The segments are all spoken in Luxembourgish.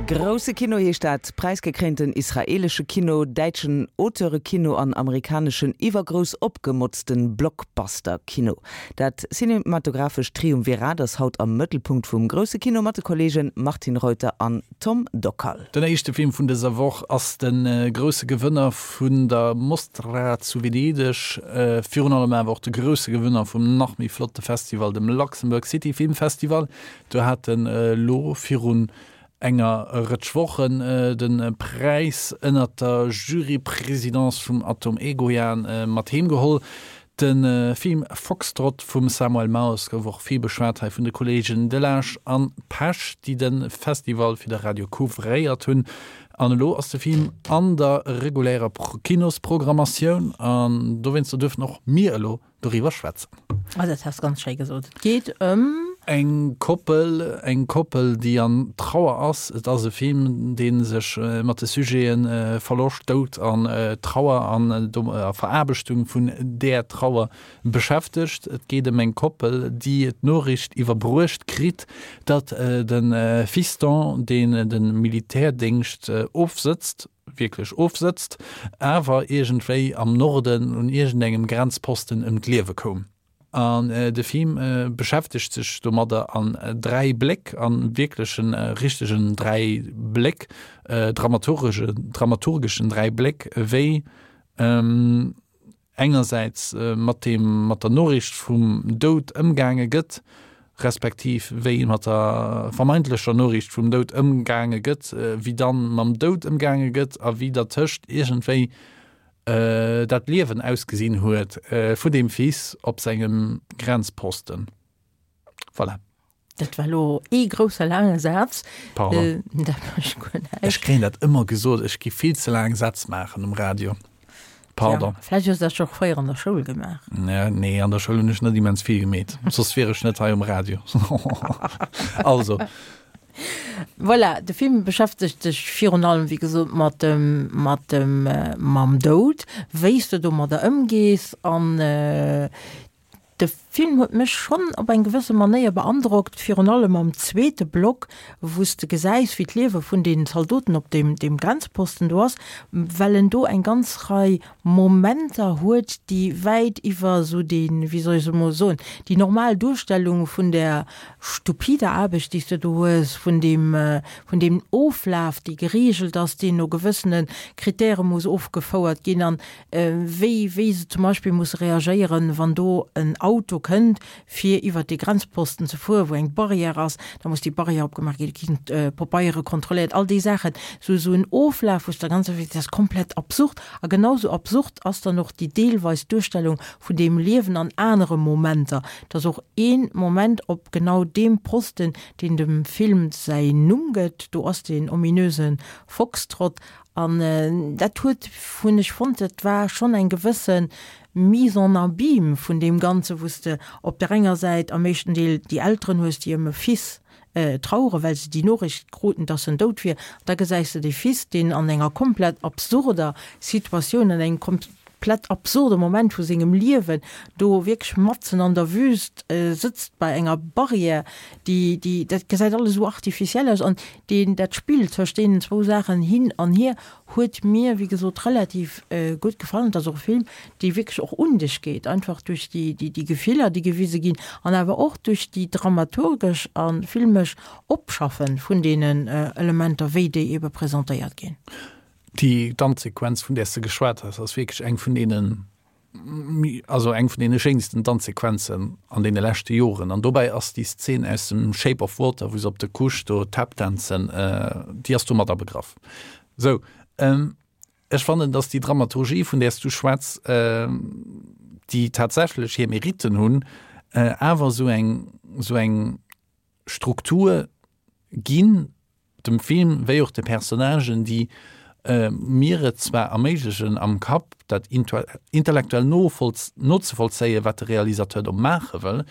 Grousse Kino heescht dat präisgekréinten israeelesche Kino, däitschen Auteurekino an amerikaneschen iwwergrouss opgemotzten Blockbuster-Kino. Dat cinematographescht Triumvirat ass haut am Mëttelpunkt vum grousse Kino mat de Kolleegen Martine Reuter an Tom Dockal. Den éischte Film vun dëser Woch ass de grousse Gewënner vun der Mostra zu Venedeg, virun allem awer och de grousse Gewënner vum nach méi flotte Festival, dem Luxembourg City Film Festival. Do hat en elo virun enger Rëtsch Wochen de Präis ënnert der Jurypresidence vum Atom Egoyan mat heem geholl. De Film Foxtrot vum Samuel Maus gouf och vill beschwat hei vun de Kolleegen Delage an Pesch, déi de Festival fir de Radio couvréiert hunn. An elo ass de Film an der regulärer Kinosprogrammatioun an dowéinster duerfen och mir elo doriwwer schwätzen. Oh, dat has ganz schéi gesot. Et geet ëm. Eng Koppel, eng Koppel, déi an Trauer ass. Et ass e Film, dee sech mat de Sujete Verloscht, Doud an Trauer an der Veraarbechtung vun där Trauer beschäftegt. Et geet ëm eng Koppel, déi d'Noriicht iwwerbruecht kritt, datt de Fiston, deen de Militärdéngscht ofsëtzt, wierklech ofsëtzt, awer iergendwéi am Norden un iergendengem Grenzposten ëm d'Liewe koum. An de Film beschäftegt sech domadder an 3 Bléck, a wierklechen, richtegen 3 Bléck, dramaturgeschen, dramaturgeschen 3 Bléck, wéi engersäits mat deem, mat der Noriicht vum Doud ëmgaange gëtt, respektiv wéi mat der vermeintlecher Noriicht vum Doud ëmgaange gëtt, wéi dann mam Doud ëmgaange gëtt a wéi dertëscht iergendwéi dat Liewen ausgesinn huet vun deem Fils op sengem Grenzposten. Voilà. Dat war elo ee grousse laange Saz. Pardon. Dat mécht guer näischt. Ech kréien dat ëmmer gesot, ech gi vill ze laang Sätz maachen um Radio. Pardon. Ja, vläicht hues du dat scho fréier an der Schoul gemaach. Ja, nee, an der Schoul hunn ech net immens vill gemeet. Soss wier ech net hei um Radio. Also. Voilà, de Film beschäftegt sech virun allem, wéi gesot, mat dem, mat dem, mam Doud, wéi s de domadder ëmgees an de Film huet mech schonn op eng gewësse Manéier beandrockt, virun allem am zweete Block, wou s de gesäis, wéi d'Liewe vun den Zaldoten op deem, deem Grenzposten do ass, well en do eng ganz Rei Momenter huet, déi wäit iwwer esou déi, wéi soll ech se emol soen, déi normal Duerstellung vun där stupider Aarbecht, déi s de do hues, vun deem, vun deem Oflaf, dee geregelt ass, deen no gewëssene Kritäre muss ofgefouert ginn an wéi, wéi se zum Beispill musse reagéieren, wann do en Auto kënnt, fir iwwert dee Grenzposten ze fueren, wou eng Barrière ass, da muss déi Barrière opgemaach ginn, da ginn d'Pabeiere kontrolléiert, all déi Saachen. Esou, esou en Oflaf, wou s de ganz einfach sees, dat ass komplett absurd. A genau esou absurd ass dann och déi deelweis Duerstellung vun deem Liewen an anere Momenter. Et ass och ee Moment op genau deem Posten, deen dem Film säin Numm gëtt, do ass deen ominöse Foxtrott. An dat huet, hunn ech fonnt, dat war schonn eng gewësse Mise en abyme vun deem Ganzen, wou s de op der enger Säit am éischten Deel déi Elteren hues, déi ëm e Fils traueren, well se déi Noriicht kruten, dass en dout wier. An da gesäis de dee Fils, deen an enger komplett absurder Situatioun, an engem komplett absurde Moment vu sengem Liewen do wierklech matzen an der Wüst sëtzt bei enger Barrière, déi, déi, dat gesäit alles esou artificiel aus. An deen, dat Spill tëscht deenen zwou Saachen hin an hier Huet mir wéi gesot relativ gutt gefall. Et ass och e Film dee wierklech och un dech geet, einfach duerch déi déi Gefiller déi gewise ginn an awer och duerch déi dramaturgesch a filmesch Opschaffe vun deenen Elementer wéi déi ebe presentéiert ginn. Déi Danzsequenz vun där s de geschwat has ass wierklech eng vun deenen also eng vun deene schéinsten Danzsequenzen an deene leschte Joren. An dobäi ass déi Szen aus dem Shape of Water, wou se op der Couche do Tap danzen, déi ass do mat abegraff. Sou, ech fannen, dass déi Dramaturgie, vun där s du schwätz, déi tatsächlech hir Meritten hunn, awer esou eng, esou eng Struktur ginn, dem Film wéi och de Personnagen, déi mir et zwar erméiglechen am Kapp dat intellektuell nozevollzéien, wat de Realisateur do maache wëll,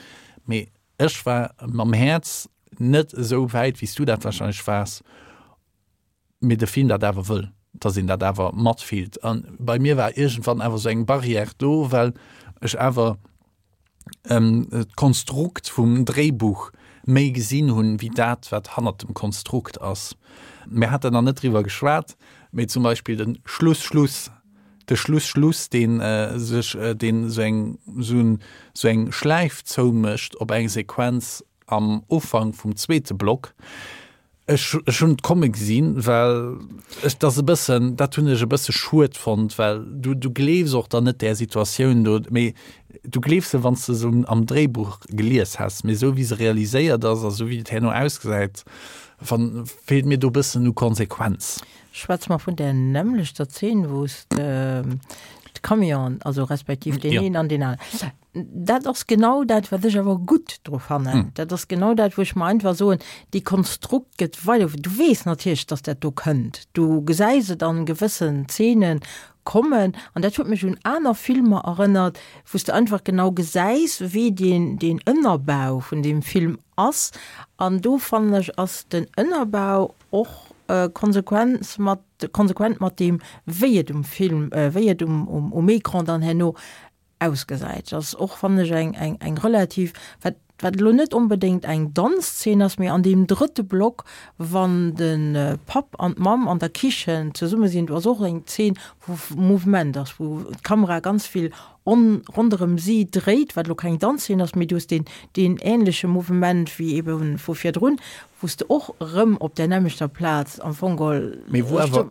mee ech war mam Häerz net esou wäit, wéi s du dat warscheinlech waars, mee de Film dat awer wëll, dass een dat awer matfillt. A bei mir war iergendwann awer esou eng Barrière do, well ech awer d'Konstrukt vum Dréibuch. méi gesinn hunn, wéi dat, wat hannert dem Konstrukt ass. Mir haten nach net driwwer geschwat, mee zum Beispill de Schluss-Schluss, de Schluss-Schluss, dee sech, deen esou eng, esou eng Schläif zoumécht op eng Sequenz am Ufank vum zweete Block. Ech, ech hunn et komme gesinn, well ech dat e bëssen, dat hunn ech e bësse schued fonnt, well du, du gleefs och dann net där Situatioun do, mee du gleefs se, wann s de se am Dréibuch gelies häss, mee esou wéi se realiséiert ass a sou wéi et herno ausgesäit, fann, feelt mir do e bëssen u Konsequenz. Schwätze mer vun där nämmlechter Zeen, wou s de d'Camionen, also respektiv deen een an deen aneren. Dat ass genau dat, wat ech awer gutt dru fannen. Dat ass genau dat, wou ech mer einfach soen, déi Konstrukt gëtt weider. Du weess natierlech, dass dat do kënnt. Du gesäis et an gewëssen Zeene kommen. An dat huet mech un aner Filmer erënnert, wou s de einfach genau gesäis, wéi deen, deen Ënnerbau vun deem Film ass. An do fannen ech, ass den Ënnerbau och konsequent mat, konsequent mat deem, wéi et um Film, wéi et um, um Ecran dann herno ausgesäit. Ass och, fannen ech, eng, eng, eng relativ, wat, wat elo net onbedéngt eng Danzzeen ass, mee an deem drëtte Block, wann de Papp an d'Mamm an der Kichen zesumme sinn, do ass och eng Zeen, wou Mouvement ass, wou d'Kamera ganz vill on, ronderëm si dréit, wat elo keng Danzzeen ass, mee du hues deen, deen ähnleche Mouvement wéi ebe vu virdrun, wou s de och erëm op där nämmlechter Plaz am Fong geholl. Mee wou awer.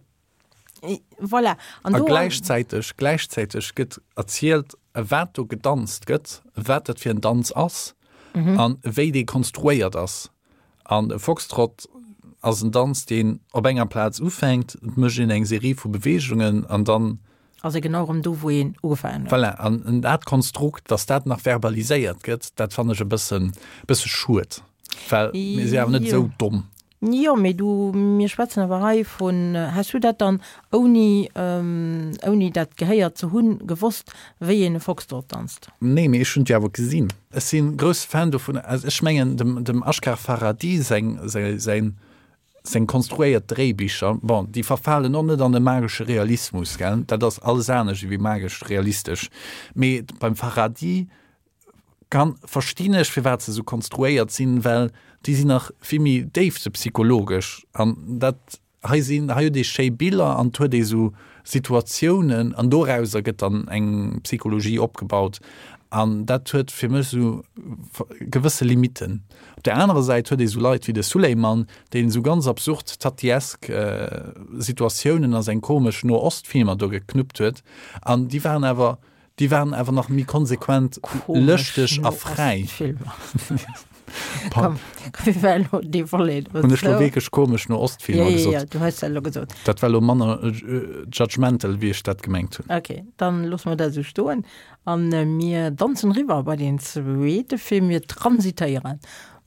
Voilà. An A gläichzäiteg, gläichzäiteg gëtt erzielt, wat do gedanzt gëtt, wat dat fir en Danz ass mhm. an wéi dee konstruéiert ass. An e Foxtrot ass en Danz, deen op enger Plaz ufänkt, et mécht een eng Serie vu Beweegungen an dann ass e genau erëm do, wou een ugefaangen huet. Voilà, an dat Konstrukt, dass dat nach verbaliséiert gëtt, dat fannen ech e bëssen, bësse schued, well mir si awer net esou domm. Jo, mee du, mir schwätzen awer hei vun, Has du dat dann ouni, ouni dat gehéiert ze hunn, gewosst, wéi een e Foxtrot danzt? Nee, mee ech hunn et jo awer gesinn. Ech si grousse Fan dovun. Also ech mengen, dem, dem Ashgar Farhadi seng, säin, seng konstruéiert Dréibicher, bon, déi verfalen och net an de magesche Realismus, gell, dat ass alles anescht ewéi magesch realistesch, mee beim Farhadi Kann verstinn ech firwat se sou konstruéiert sinn, well déi sinn nach vill méi déifsepsychologesch an dat hei sinn, hei huet ee schéi Biller an et huet ee sou Situatiounen an dorauser gëtt dann eng Psychologie opgebaut an dat huet fir mech sou gewësse Limitten. Op der anerer Säit huet ee sou Leit wéi de Suleyman, deen sou ganz absurd tatiesk Situatiounen a seng komesch No-Ost-Filmer do geknuppt huet an déi waren awer Déi waren awer nach méi konsequent lëschteg a fräi. Hunn ech lo wierklech komesch no Ostfilmer gesot? Jo, du hues dat elo gesot. Dat war lo manner judgmental, wéi ech dat gemengt hunn. Ok, dann loosse mer dat esou stoen a mir danzen eriwwer bei deen zweete Film. Mir transitéieren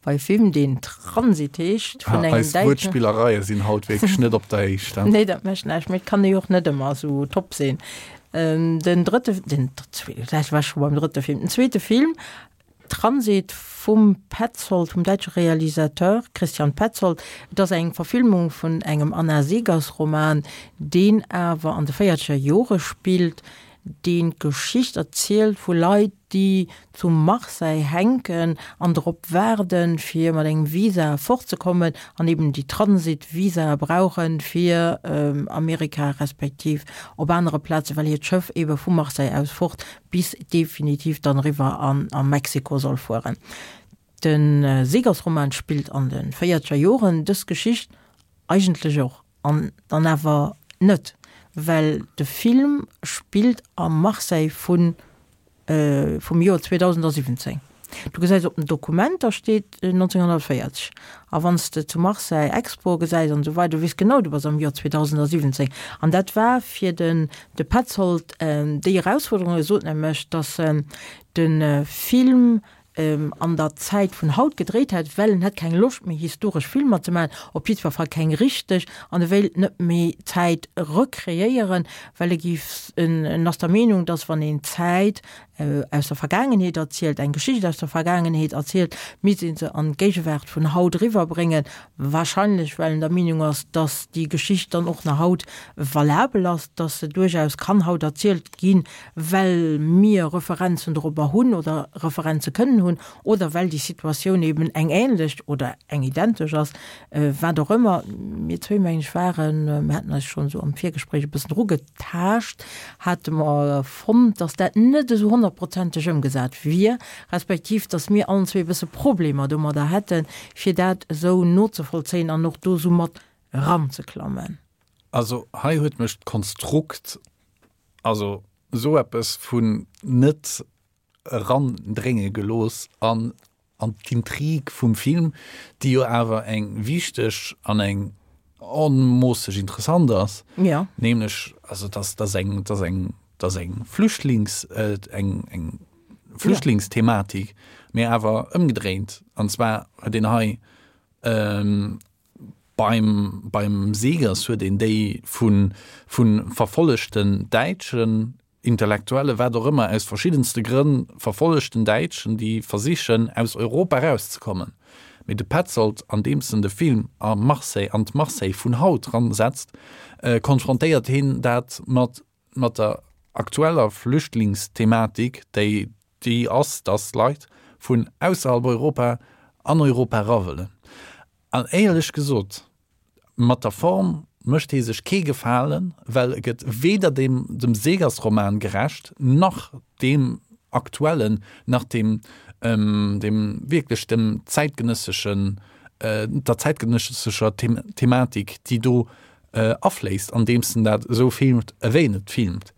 Bei Film deen Transit heescht, vun engem Eis däitschen. Wuertspillereie sinn haut wierklech net op der Héicht, he? Nee, dat mécht näischt, mee et kann ee jo och net ëmmer esou top sinn. Den drëtte, den zweeten, ech war scho beim drëtte Film, den zweete Film Transit vum Petzold, vum däitsche Realisateur Christian Petzold. Et ass eng Verfilmung vun engem Anna Seghers Roman, deen awer an de véierzeger Jore spillt, deen d'Geschicht erzielt vu Leit, déi zu Marseille hänken an drop waarden, fir mat engem Visa fortzekommen an eben déi Transit-Visae brauchen, fir Amerika respektiv op anere Plazen, well hiert Schëff ebe vu Marseille aus fort bis definitiv dann eriwwer an a Mexiko soll fueren. De Seghers-Roman spillt an de véierzeger Joren, dës Geschicht eigentlech och. An dann awer net, well de Film spillt a Marseille vun vum Joer 2017. Du gesäis op den Dokumenter steet 1940 a wann s de zu Marseille Expo gesäis an esou weider, du weess genau, du bass am Joer 2017. An dat war fir den de Petzold déi Erausfuerderung. E sot nämlech, datt en de Film an der Zäit vun haut gedréit hätt, well en hätt keng Loscht méi historesch Filmer ze maachen, op jiddwer Fall keng richteg, an e wéilt net méi d'Zäit recreéieren, well e géif, en ass der Meenung, datt wann een d'Zäit. aus der Vergaangenheet erzielt, eng Geschicht aus der Vergaangenheet erzielt, misst ee se an d'Géigewaart vun haut eriwwerbréngen, wahrscheinlech well en der Meenung ass, datt déi Geschicht dann och nach haut valabel ass, datt se duerchaus kann haut erzielt ginn, well mir Referenzen dorobber hunn oder Referenze kënnen hunn oder well déi Situatioun eben eng ähnlech oder eng identesch ass, wat och ëmmer. Mir zwéi, mengen ech, waren, mir haten eis schonn esou am Virgespréich e bëssen erugetaascht, hate mer fonnt, datt dat net esou honnertprozenteg ëmgesat wier, respektiv datt mir allen zwee e bësse Problemer domadder hätten, fir dat esou nozevollzéien an och do esou mat eranzeklammen. Also hei huet mech d'Konstrukt, also esou eppes vun net erandrénge gelooss an an d'Intrig vum Film, déi jo awer eng wichteg an eng onmoosseg interessant ass, ja. nämlech also dass dass eng dass eng dass eng Flüchtlings eng eng Flüchtlingsthematik, mee awer ëmgedréint, an zwar huet een hei beim beim Seegers huet een déi vu vu verfollegten Däitschen Intellektuelle, wat och ëmmer, aus verschiddenste Grënn verfollegten Däitschen, déi versichen, aus Europa erauszekommen. Mee de Petzold, andeems en de Film a Marseille, an d'Marseille vun haut ransetzt, konfrontéiert hien dat mat mat der aktueller Flüchtlingsthematik, déi déi ass, dass Leit vun ausserhalb Europa an Europa era wëllen. An éierlech gesot, mat der Form mécht hie sech kee Gefalen, well e gëtt weder dem dem Seegers-Roman gerecht, nach deem aktuellen, nach dem dem wierklech dem zäitgenësseschen, der zäitgenëssescher Thematik, déi do afléisst, andeems en dat esou filmt, ewéi en et filmt.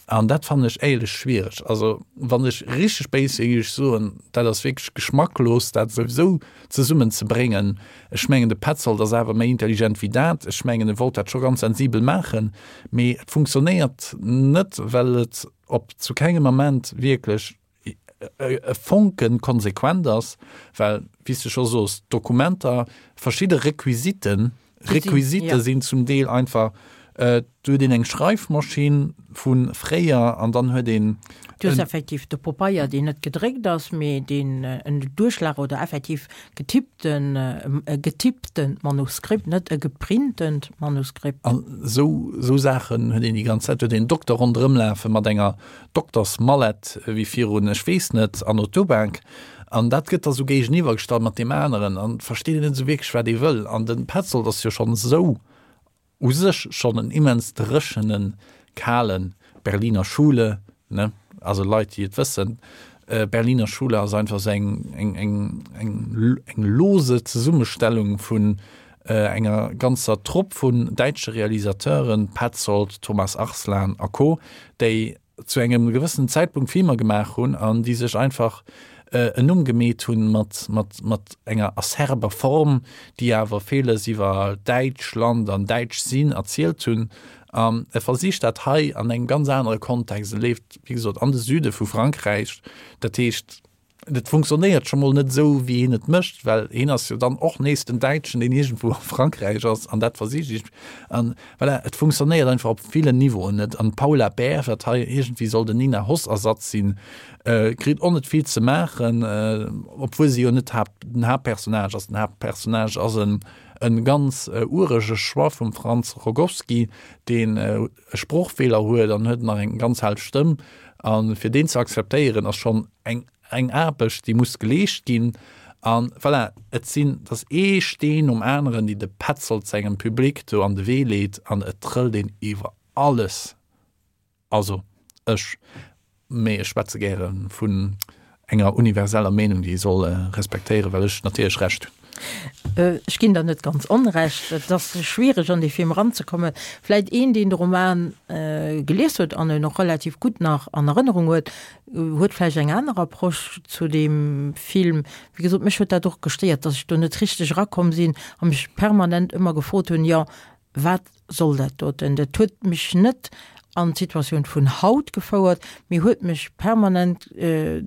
An dat fannen ech éierlech schwiereg. Also wann ech richteg béis wier, géif ech soen, dat ass wierklech geschmacklos, dat esou zesummen ze bréngen. Ech mengen, de Petzold ass awer méi intelligent wéi dat. Ech mengen, e wollt dat scho ganz sensibel maachen, mee et funktionéiert net, well et op zu kengem Ament wierklech e Fonken konsequent ass, well, wéi s de scho soos, d'Dokumenter, verschidde Requisiten, Requisite sinn zum Deel einfach, do huet een eng Schreifmaschinn vu fréier an dann huet een. Du hues effektiv de Popeier, deen net gedréckt ass, mee deen en Duerchschlag oder effektiv getippten, e getipptent Manuskript, net e geprintent Manuskript. An esou, esou Saachen huet een déi ganz Zäit. Huet een Dokter ronderëmlafe mat enger Doktersmallett wéi virun, ech weess net, Anno Tobak. An dat gëtt da sou géigeniwwer gestallt mat deem aneren an et versteet een net esou wierklech, wat ee wëll. An de Petzold ass jo schonn esou u sech schonn en immens dréchenen, kale Berliner Schule, ne, also Leit, déi et wëssen, Berliner Schule ass einfach esou eng, eng, eng, eng, eng lose Zesummestellung vun enger ganzer Trupp vun däitsche Realisateuren, Petzold, Thomas Arslan a Co., déi zu engem gewëssenen Zäitpunkt Filmer gemaach hunn an déi sech einfach en Numm gemeet hunn mat, mat, mat enger acerber Form, déi awer villes iwwer Däitschland an Däitsch sinn erzielt hunn. An e versicht dat hei an engem ganz anere Kontext. E leeft, wéi gesot, an de Süde vu Frankräich. Dat heescht, Et funktionéiert scho mol net esou, wéi hien et mécht, well hien ass jo dann och nees den Däitschen, deen iergendwou a Frankräich ass an dat versicht iergend. An voilà, et funktionéiert einfach op villen Niveauen net. An d'Paula Beer, wat hei iergendwéi soll den Nina Hoss-Ersatz sinn, kritt och net vill ze maachen, obwuel si jo net d'Haapt, den Haaptpersonnage ass. Den Haaptpersonnage ass en e ganz urege Choix vum Franz Rogowski, deen e Sproochfeeler huet an huet nach eng ganz hell Stëmm. A fir deen ze akzeptéieren, ass schonn eng eng Aarbecht, déi muss geleescht ginn. A voilà, et sinn, et ass ee Steen nom aneren, déi de Petzold sengem Public do an de Wee leet an et trëllt een iwwer alles. Also ech, mee ech schwätze gäre vun enger universeller Meenung, déi ee soll respektéieren, well ech natierlech Recht hunn. Ech ginn der net ganz Onrecht. Et ass schwiereg an dee Film eranzekommen. Vläit een, deen de Roman gelies huet an en och relativ gutt nach an Erënnerung huet, huet vläicht eng aner Approche zu deem Film. Wéi gesot, mech huet dat och gestéiert, datt ech do net richteg erakomm sinn a mech permanent ëmmer gefrot hunn, jo, wat soll dat doten? Dat huet mech net an d'Situatioun vun haut gefouert, mee huet mech permanent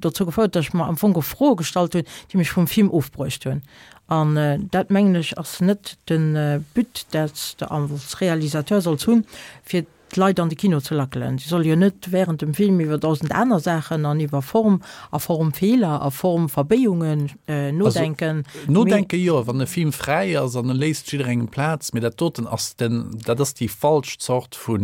dozou gefouert, datt ech mer am Fong och Froe gestallt hunn, déi mech vum Film ofbruecht hunn. An dat, mengen ech, ass net de But, dat s de als Realisateur solls hunn, fir. d'Leit an de Kino ze lackelen. Si solle jo net während dem Film iwwer dausend aner Saachen an iwwer Form a Formfeeler a Formverbéiungen nodenken. Also, nodenke jo, wann e Film fräi ass an e léisst jidderengem Plaz, mee dat doten ass den, dat ass déi falsch Zort vu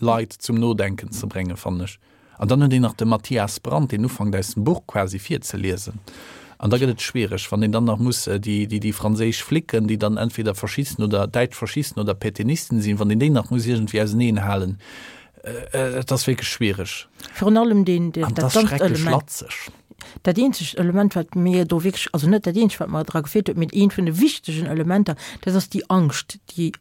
Leit zum Nodenken ze bréngen, fannen ech. An dann huet een nach de Matthias Brandt, deen ufankt aus dem Buch quasi virzeliesen. An da gëtt et schwiereg, wann een dann nach muss déi, déi, déi franséisch Flicken, déi dann entweder Faschisten oder däitsch Faschisten oder Pétainisten sinn, wann een déi nach muss iergendwéi auseneenhalen. Et ass wierklech schwiereg. Virun allem deen, deen, dat ganzt Element. Latzeg. Dat eenzegt Element, wat mir do wierklech, also net dat eenzegt, wat mer dra gefeelt huet, mee eent vun de wichtegen Elementer, dat ass déi Angscht, déi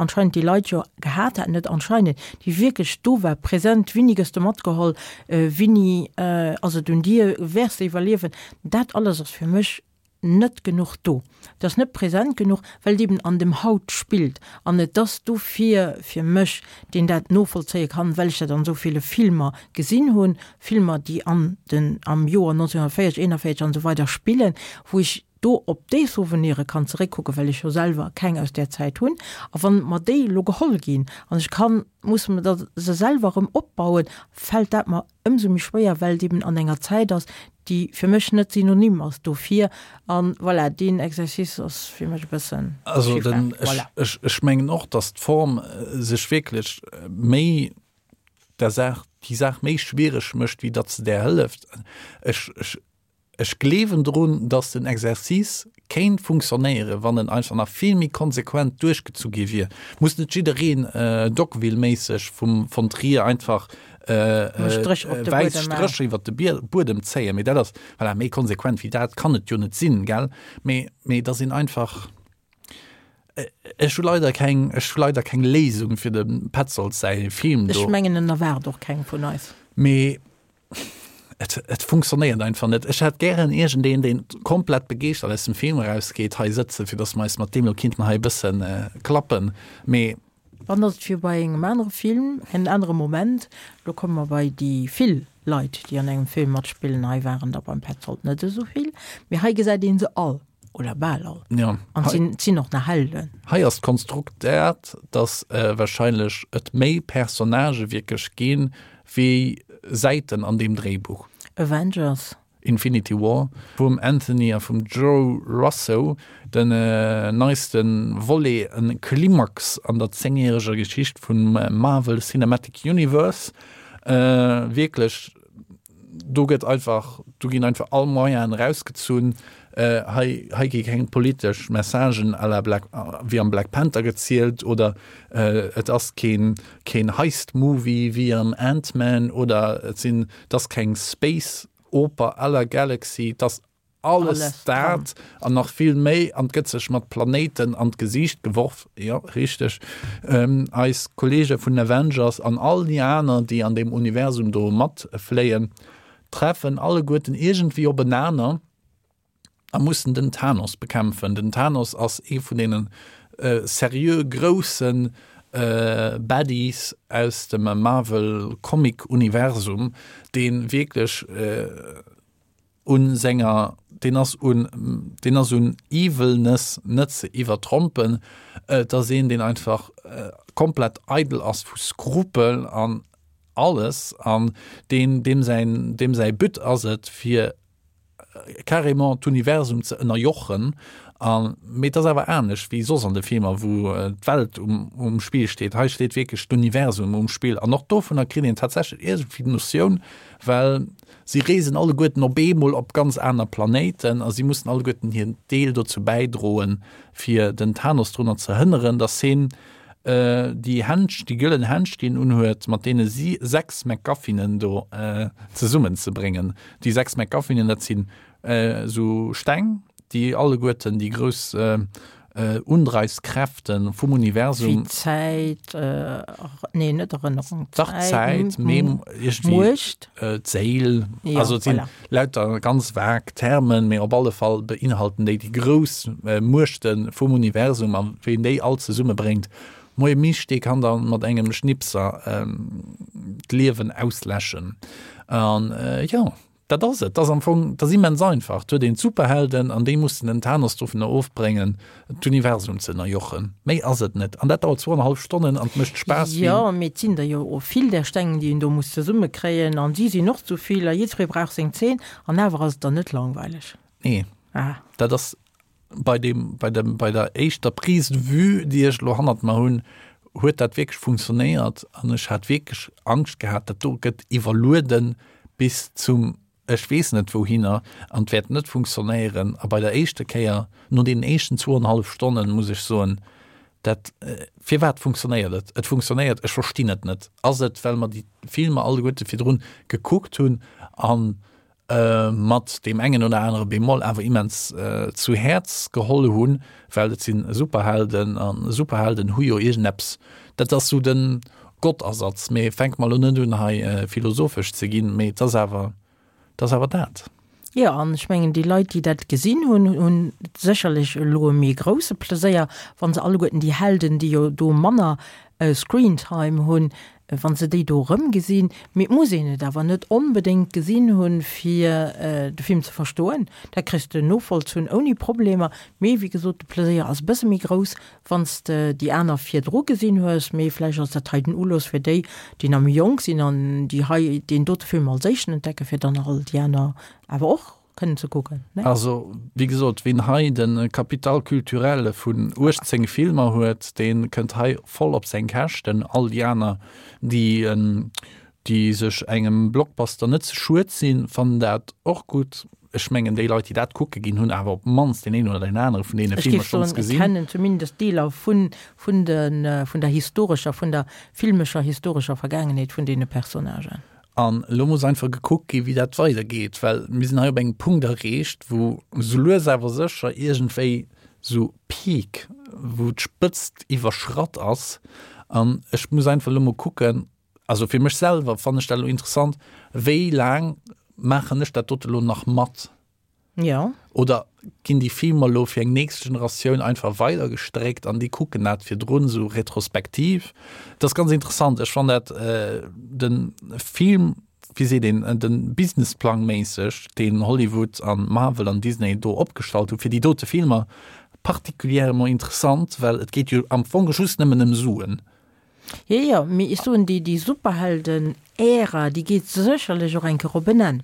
anscheinend déi Leit jo gehat haten, net anscheinend, déi wierklech do war, present, Winni gëss de matgeholl, Winni ass et un dir, wäers de iwwerliewen? Dat alles ass fir mech net genuch do. Et ass net present genuch, well et eben an dem Haut spillt. An et ass dofir fir mech, deen dat novollzéie kann, well ech dat an esou ville Filmer gesinn hunn, Filmer, déi an den, am Joer 1940, 41 an esou weider spillen, wou ech do op déi Souvenire kann zeréckkucken, well ech jo selwer keng aus där Zäit hunn. A wann mer déi elo geholl ginn an ech kann, muss mer der se selwer erëm opbauen, fält dat mer ëmsou méi schwéier, well et eben an enger Zäit ass, déi fir mech net synonym ass dofir. An voilà, deen Exercice ass fir mech e bëssen Also den, ech, voilà. ech, ech mengen och, datt d'Form sech wierklech méi der Saach, déi Saach méi schwiereg mécht, wéi datt se där hëlleft. Ech, ech, Ech gleewen drun, dass den Exercice kéint funktionéieren, wann en einfach nach vill méi konsequent duerchgezu gi wier. Muss net jiddereen Dogville-méisseg vum von Trier einfach wäiss Strécher iwwert de Buedem zéien, mee dat ass, voilà, méi konsequent wéi dat kann et jo net sinn, gell? Mee, mee dass een einfach, ech hu leider keng, ech hu leider keng Léisung fir dem Petzold säi Film do. Ech mengen, en erwaart och keng vun eis. Mee Et, et funktionéiert einfach net. Ech hätt gären iergendeen, deen komplett begeeschtert aus dem Film erausgeet, hei sëtzen, fir dass mer eis mat deem lo kinnten hei e bëssen klappen. Mee. Dann ass et wéi bei engem anere Film, en anere Moment. Lo komme mer bei déi vill Leit, déi an engem Film matspillen. Hei waren der beim Petzold net esou vill, mee hei gesäit ee se all, oder bal all. Ja. An et sinn, et sinn och nach Helden. Hei ass d'Konstrukt dat, dass wahrscheinlech et méi Personnagë wierklech ginn, Wéi Säiten an deem Dréibuch. Avengers. Infinity War vum Anthony a vum Joe Russo, den neiste Volet, en Klimax an der zéngjäreger Geschicht vum Marvel Cinematic Universe. Wierklech, do gëtt einfach, do ginn einfach all Moyenen erausgezunn. Hei, hei gi keng politesch Messagen à la Black, wéi am Black Panther gezielt oder et ass keen, keen Heist-Movie wéi am Ant-Man oder et sinn, et ass keng Space-Oper à la Galaxy, et ass alles dat an nach vill méi an et gëtt sech mat Planéiten an d'Gesiicht geworf, jo richteg, eis Kollege vun Avengers an all déi aner, déi an deem Universum do matfléien, treffen alleguerten iergendwéi openaner. a mussen den Thanos bekämpfen. Den Thanos ass ee vun deene seriö grousse Baddies aus dem Marvel Comic Universum, dee wierklech un senger, deen ass un, deen ass un Evilness net ze iwwertrompen. Et ass een, deen einfach komplett eidel ass vu Skrupel an alles an deen, deem säin, deem säi But ass et, fir carrément d'Universum ze ënnerjochen an mee et ass awer anescht wéi soss an de Filmer wou d'Welt um um Spill steet. Hei steet wierklech d'Universum um Spill an och dovunner kritt een tatsächlech iergendwéi d'Notioun, well si reesen alleguerten op eemol op ganz aner Planéiten a si mussen alleguerten hiren Deel dozou bäidroen fir den Thanos drunner ze hënneren, dass heen déi Händsch, déi gëllen Händsch, déi en unhuet, mat deene si 6 MacGuffinen do zesummen ze bréngen. Déi 6 MacGuffinen, dat sinn esou Steng, déi alleguerten déi grouss Undreiwskräfte vum Universum. Wéi Zäit, nee net Erënnerung, Dach Zäit, Mem, iergendwéi Muecht. D'Séil, also et sinn lauter ganz vag Termen, mee op alle Fall beinhalten déi déi grouss Muechte vum Universum a ween déi all zesummebréngt, moie Misch, dee kann da mat engem Schnipser d'Liewen ausläschen. An jo. Dat ass et. Dat ass am Fong, dat ass immens einfach. Et huet een d'Superhelden an déi mussen den Thanos dovunner ofbréngen, d'Universum ze ënnerjochen. Méi ass et net. An dat dauert zwouanenhallef Stonnen an et mécht Spaass wéi. Jo, mee et sinn der jo och vill där Steng, déi een do muss zesummekréien an si sinn och zu vill a jiddweree brauch seng Zeen an awer ass et dann net langweileg. Nee. Ah. Dat ass bei deem, bei dem, bei der éischter Prise de vue, déi ech elo hannert mer hunn, huet dat wierklech funktionéiert an ech hat wierklech Angscht gehat, dat do gëtt iwwerlueden bis zum ech weess net wouhinner an et wäert net funktionéieren. A bei der éischter Kéier, no deenen éischten zwouenhallef Stonnen, muss ech soen, dat, firwat funktionéiert et? Et funktionéiert, ech verstinn et net. Ass et, well mer déi Filmer alleguerte virdrun gekuckt hunn an mat deem engen oder anere Bémol awer immens zu Häerz geholl hunn, well et si Superhelden a Superhelden hu jo iergendeppes, dat ass sou de Gottersatz, mee fänke mer elo net un hei philosophesch ze ginn, mee et ass awer, et ass awer dat. Jo, an ech mengen déi Leit, déi dat gesinn hunn, hunn sécherlech elo e méi grousse Pleséier, wa se alleguerten déi Helden, déi jo do manner Screentime hunn, wa se déi do erëmgesinn. Mee et muss een et awer net onbedéngt gesinn hunn, fir de Film ze verstoen. Dat kriss de novollzunn ouni Problemer. Mee wéi gesot, de Pleséier ass e bësse méi grouss, wann s de déi aner virdru gesinn hues. Mee vläicht ass dat hei den Ulooss fir déi, déi nach méi jonk sinn an déi hei deen dote Film als éischten entdecken, fir dann all déi aner awer och kënnen ze kucken, ne? Also, wéi gesot, ween hei de Capital culturel vun 18 Filmer huet, dee kënnt hei voll op seng Käschten. All déi aner, déi, déi sech engem Blockbuster net ze schued sinn, fannen dat och gutt. Ech mengen, déi Leit, déi dat kucke ginn, hunn awer op d'mannst deen een oder deen anere vun deene Filmer schonns gesinn. Ech géif soen, kennen zumindest Deeler vun, vun de, vun der historescher, vun der filmescher historescher Vergaangenheet vun deene Personnagen. An elo muss einfach gekuckt ginn, wéi dat weidergeet, well mir sinn hei op engem Punkt erreecht, wou sou lues awer sécher iergendwéi sou Peak, wou d'Spëtzt iwwerschratt ass. An ech muss einfach elo mol kucken, also fir mech selwer fannen ech dat elo interessant, wéi laang maachen ech dat dote elo nach mat? Jo. Oder ginn déi Filmer elo fir eng nächst Generatioun einfach weidergestréckt an déi kucken dat virdrun esou retrospektiv? Dat ass ganz interessant. Ech fannen dat de Film, wéi seet een, de Businessplang méisseg, deen Hollywood an Marvel an Disney do opgestallt hu fir déi dote Filmer, particulièrement interessant, well et geet jo am Fong just nëmmen ëm Suen. Jo, jo, mee ech soen, déi, déi Superhelden-Ära, déi geet sécherlech och eng Kéier op en Enn.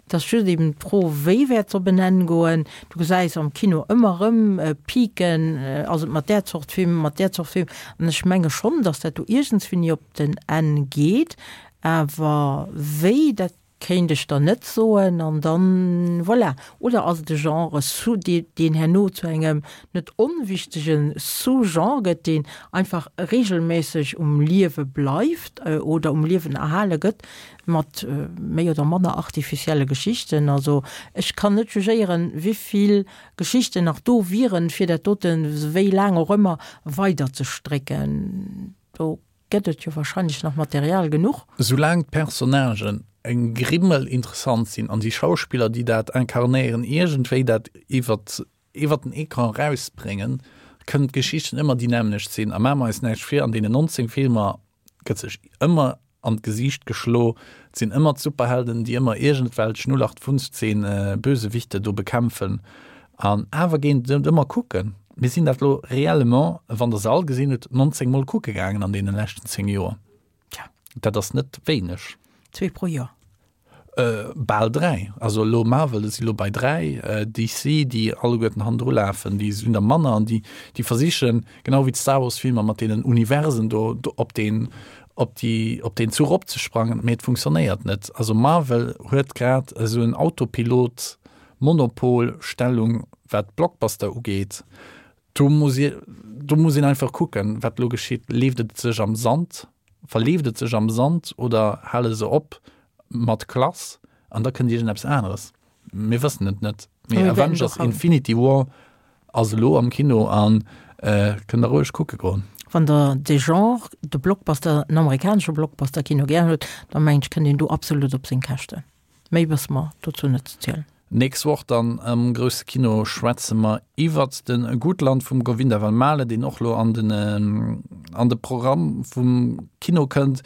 Et ass just eben d'Fro, wéi wäert se op en Enn goen. Du gesäis am Kino ëmmer erëm Piken, ass et mat där Zort Film, mat där Zort Film. An ech menge schonn, datt dat do iergendswéini op den Enn geet. Awer wéi, dat Kéint ech der net soen. An dann, voilà. Oder ass et e Genre, sous, dee, deen herno zu engem net onwichtege Sous-Genre gëtt, deen einfach regelméisseg um Liewe bleift oder um Liewen erhale gëtt, mat méi oder manner artificielle Geschichten. Also ech kann net jugéieren, wivill Geschichten nach do wieren, fir dat doten, wéi laang och ëmmer, weiderzestrécken. Do Gëtt et jo wahrscheinlech nach Material genuch. Soulaang d'Personnagen eng Grimmel interessant sinn an déi Schauspiller, déi dat inkarnéieren, iergendwéi dat iwwert iwwert den Ecran erausbréngen, kënnen d'Geschichten ëmmer déi nämmlecht sinn. A maache mer eis näischt vir, an deenen 19 Filmer gëtt sech ëmmer an d'Gesiicht geschlo, et sinn ëmmer d'Superhelden, déi ëmmer iergendwelch 0815 Bösewichte do bekämpfen. An awer ginn se et ëmmer kucken. Mir sinn dat elo réellement, wann Der se all gesinn hutt, 19 Mol kucke gaangen an deene leschten 10 Joer. Tja. Dat ass net wéineg. Zwee pro Joer. Bal dräi. Also elo Marvel si elo bei dräi. DC, déi alleguerten hannendru lafen, déi sinn der manner an déi, déi versichen, genau wéi d'Star Wars Filmer mat deenen Universen do, do op deen, op déi, op deen Zuch opzesprangen, mee et funktionéiert net. Also Marvel huet grad esou en Autopilot Monopolstellung wat Blockbuster ugeet, do muss ee, do muss een einfach kucken, wat elo geschitt. Leeft et sech am Sand, verleeft et sech am Sand oder hale se op mat Klass an da kënnt iergendeppes aneres? Mir wëssen et net. Mee Avengers Infinity War ass elo am Kino a kënnt der roueg kucke goen. Wann der de Genre, de Blockbuster, den amerikanesche Blockbuster-Kino gär huet, da mengen ech, kënnt een do absolut op seng Käschten. Méi wësse mer dozou net ze zielen. Nächst Woch dann am grousse Kino schwätze mer iwwert de Gutland vum Govinda van Maele, deen och lo an den an de Programm vum Kino kënnt.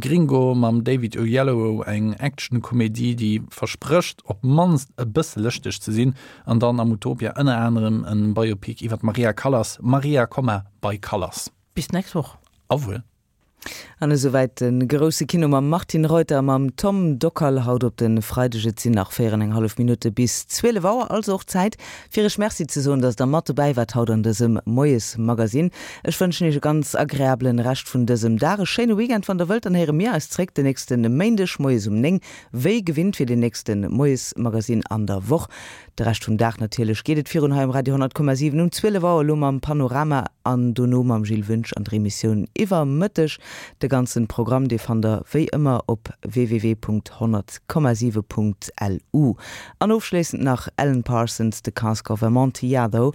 Gringo mam David Oyelowo, eng Action-Komedie, déi versprécht op d'mannst e bësse lëschteg ze sinn. An dann am Utopia ënner anerem e Biopic iwwer d'Maria Callas, Maria, bei Callas. Bis d'nächst Woch. Au revoir. An esouwäit de grousse Kino mam Martine Reuter a mam Tom Dockal haut op de Freideg. Et sinn nach 4 an eng hallef Minutte bis 12 Auer, also och Zäit fir Iech Merci ze soen, dass der mat dobäi waart haut an dësem Moiesmagazine. Ech wënschen Iech e ganz agreablen Rescht vun dësem Dag, e schéine Weekend wann der wëllt. Dann héiere mir eis zréck de nächste Méindeg moies um 9, wéi gewinnt fir den nächste Moiesmagazine an der Woch. De Rescht vum Dag natierlech geet et virun hei um Radio 100,7 um 12 Auer elo mam Panorama an dono mam Gilles Wünsch an der Emissioun Iwwer Mëtteg. De ganzen Programm dee fannt der wéi ëmmer op www.100,7.lu. An ofschléissend nach Alan Parsons, The Cask of Amontillado.